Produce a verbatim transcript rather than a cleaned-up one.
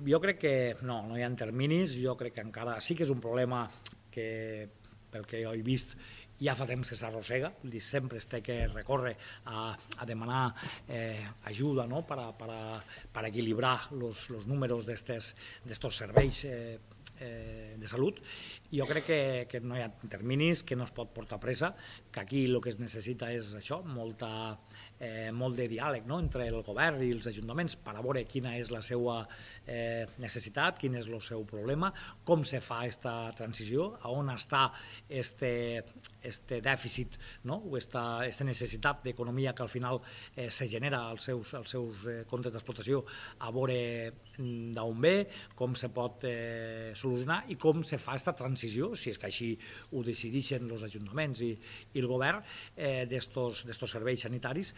jo crec que no, no hi ha terminis, jo crec que encara sí que és un problema que, pel que jo he vist, ja fa temps que s'arrossega, sempre es té que recórrer a, a demanar eh, ajuda, no? per, a, per, a, per equilibrar els números d'aquests serveis eh, eh, de salut. Jo crec que, que no hi ha terminis, que no es pot portar pressa, que aquí el que es necessita és això, molta, eh, molt de diàleg, no? entre el govern i els ajuntaments per a veure quina és la seva eh, necessitat, quin és el seu problema, com se fa aquesta transició, a on està este, este dèficit, no? o esta, esta necessitat d'economia que al final eh, se genera als seus, als seus eh, comptes d'explotació, a veure d'on ve, com se pot eh, solucionar i com se fa aquesta transició, si és que així ho decideixen els ajuntaments i, i el govern, eh, d'estos serveis sanitaris